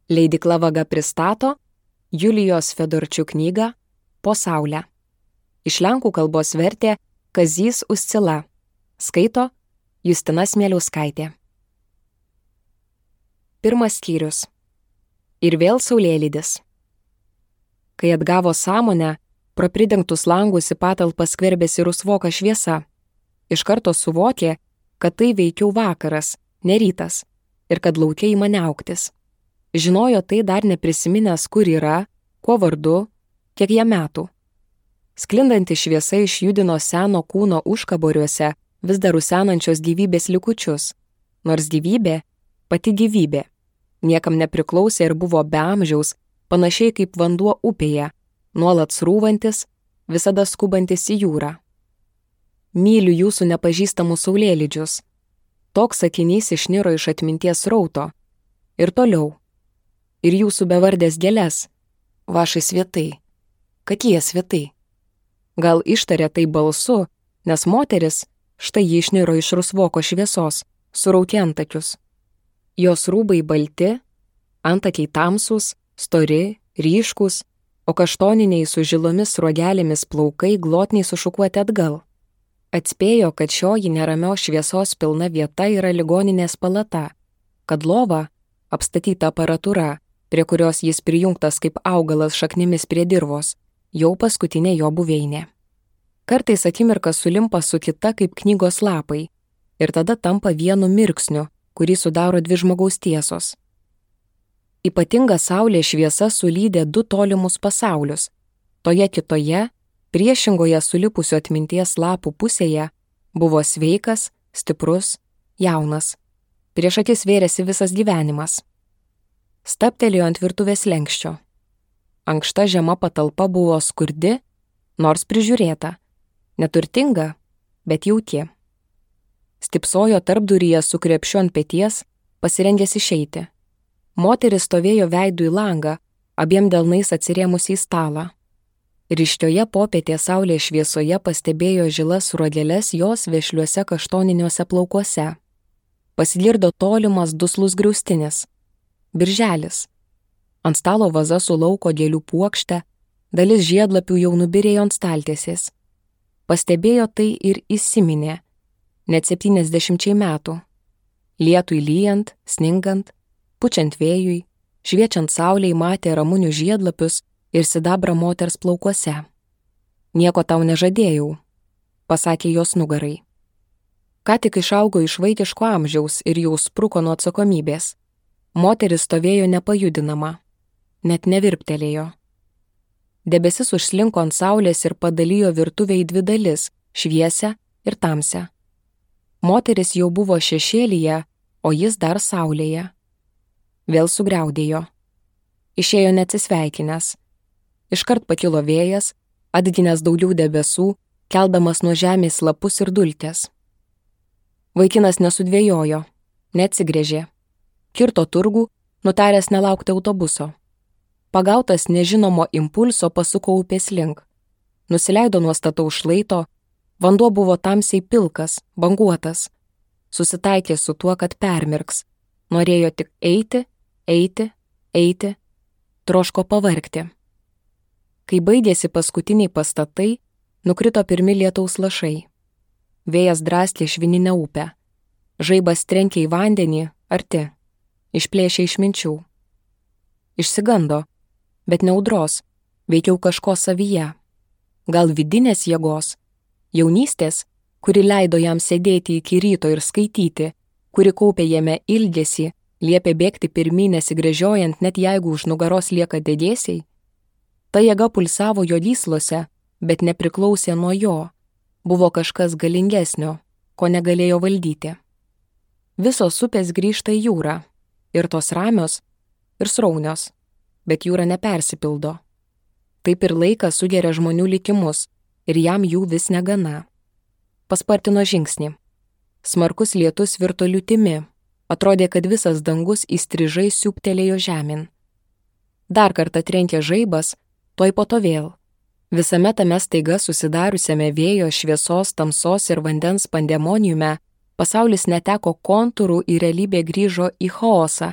Leidykla Vaga pristato Julijos Fedorčiuk knygą Po saulę. Iš lenkų kalbos vertė Kazys Uscila. Skaito Justina Smėliauskaitė. Pirmas skyrius. Ir vėl saulėlydis. Kai atgavo sąmonę, pro pridengtus langus į patalpą skverbėsi rusvoka šviesa. Iš karto suvokė, kad tai veikiau vakaras, ne rytas, ir kad lauke ima niauktis. Žinojo tai dar neprisiminęs, kur yra, kuo vardu, kiek jam metų. Sklindanti šviesa išjudino seno kūno užkaboriuose vis dar rusenančios gyvybės likučius, nors gyvybė, pati gyvybė, niekam nepriklausė ir buvo be amžiaus, panašiai kaip vanduo upėje, nuolat srūvantis, visada skubantis į jūrą. Myliu jūsų nepažįstamus saulėlydžius. Toks sakinys išniro iš atminties rauto. Ir toliau. Ir jūsų bevardės gėles. Vašai svietai. Kad jie svietai. Gal ištarė tai balsu, nes moteris, štai ji išniro iš rusvoko šviesos, suraukė antakius. Jos rūbai balti, antakiai tamsūs, stori, ryškus, o kaštoniniai su žilomis sruogelėmis plaukai glotniai sušukuoti atgal. Atspėjo, kad šioji neramios šviesos pilna vieta yra ligoninės palata, kad lova, apstatyta aparatūra, prie kurios jis prijungtas kaip augalas šaknimis prie dirvos, jau paskutinė jo buveinė. Kartais akimirka sulimpa su kita kaip knygos lapai ir tada tampa vienu mirksniu, kurį sudaro dvi žmogaus tiesos. Ypatinga saulės šviesa sulydė du tolimus pasaulius. Toje kitoje, priešingoje sulipusių atminties lapų pusėje, buvo sveikas, stiprus, jaunas. Prieš akis vėrėsi visas gyvenimas. Stabtelėjo ant virtuvės lenkščio. Ankšta žema patalpa buvo skurdi, nors prižiūrėta. Neturtinga, bet jauki. Stipsojo tarpduryje su krepšiu ant peties, pasirengęs išeiti. Moteris stovėjo veidu į langą, abiem delnais atsirėmusi į stalą. Ryškioje popietės saulės šviesoje pastebėjo žilas ruogeles jos vešliuose kaštoniniuose plaukuose. Pasigirdo tolimas duslus griaustinis. Birželis. Ant stalo vaza su lauko gėlių puokšte, dalis žiedlapių jau nubirėjo ant staltiesės. Pastebėjo tai ir įsiminė, net 70 metų. Lietui lyjant, sningant, pučiant vėjui, šviečiant saulei matė ramunių žiedlapius ir sidabrą moters plaukuose. Nieko tau nežadėjau, pasakė jos nugarai. Ką tik išaugo iš vaikiško amžiaus ir jau spruko nuo atsakomybės. Moteris stovėjo nepajudinama, net nevirptelėjo. Debesis užslinko ant saulės ir padalijo virtuvę į dvi dalis, šviesią ir tamsią. Moteris jau buvo šešėlyje, o jis dar saulėje. Vėl sugriaudėjo. Išėjo neatsisveikinęs. Iškart pakilo vėjas, atginęs daugiau debesų, keldamas nuo žemės lapus ir dulkes. Vaikinas nesudvėjojo, neatsigręžė. Kirto turgų, nutaręs nelaukti autobuso. Pagautas nežinomo impulso pasuko upės link. Nusileido nuo stataus šlaito, vanduo buvo tamsiai pilkas, banguotas. Susitaikė su tuo, kad permirks. Norėjo tik eiti, eiti, eiti, troško pavargti. Kai baigėsi paskutiniai pastatai, nukrito pirmi lietaus lašai. Vėjas draskė švininę upę. Žaibas trenkė į vandenį, arti. Išplėšė iš minčių. Išsigando, bet ne audros, veikiau kažko savyje. Gal vidinės jėgos, jaunystės, kuri leido jam sėdėti iki ryto ir skaityti, kuri kaupė jame ilgesį, liepė bėgti pirmyn nesigręžiojant, net jeigu už nugaros lieka dėdėsiai. Ta jėga pulsavo jo gyslose, bet nepriklausė nuo jo. Buvo kažkas galingesnio, ko negalėjo valdyti. Visos upės grįžta į jūrą. Ir tos ramios, ir sraunios, bet jūra nepersipildo. Taip ir laikas sugeria žmonių likimus, ir jam jų vis negana. Paspartino žingsnį. Smarkus lietus virto liūtimi, atrodė, kad visas dangus įstrižai siūbtelėjo žemyn. Dar kartą trenkė žaibas, tuoj po to vėl. Visame tame staiga susidariusiame vėjo, šviesos, tamsos ir vandens pandemoniume pasaulis neteko kontūrų ir realybė grįžo į chaosą,